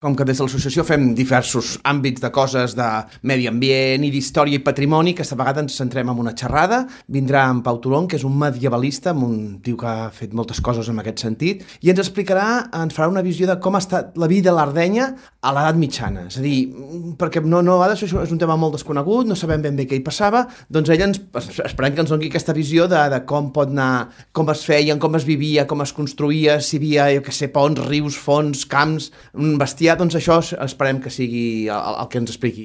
Com que des de l'associació fem diversos àmbits de coses de medi ambient i d'història i patrimoni, aquesta vegada ens centrem en una xerrada. Vindrà en Pau Tolón, que és un medievalista, un tio que ha fet moltes coses en aquest sentit, i ens explicarà, ens farà una visió de com ha estat la vida a l'Ardenya a l'edat mitjana. És a dir, perquè no això és un tema molt desconegut, no sabem ben bé què hi passava, doncs ella esperem que ens doni aquesta visió de com pot anar, com es feien, com es vivia, com es construïa, si hi havia, jo què sé, ponts, rius, fonts, camps, bestiar, doncs això esperem que sigui el que ens expliqui.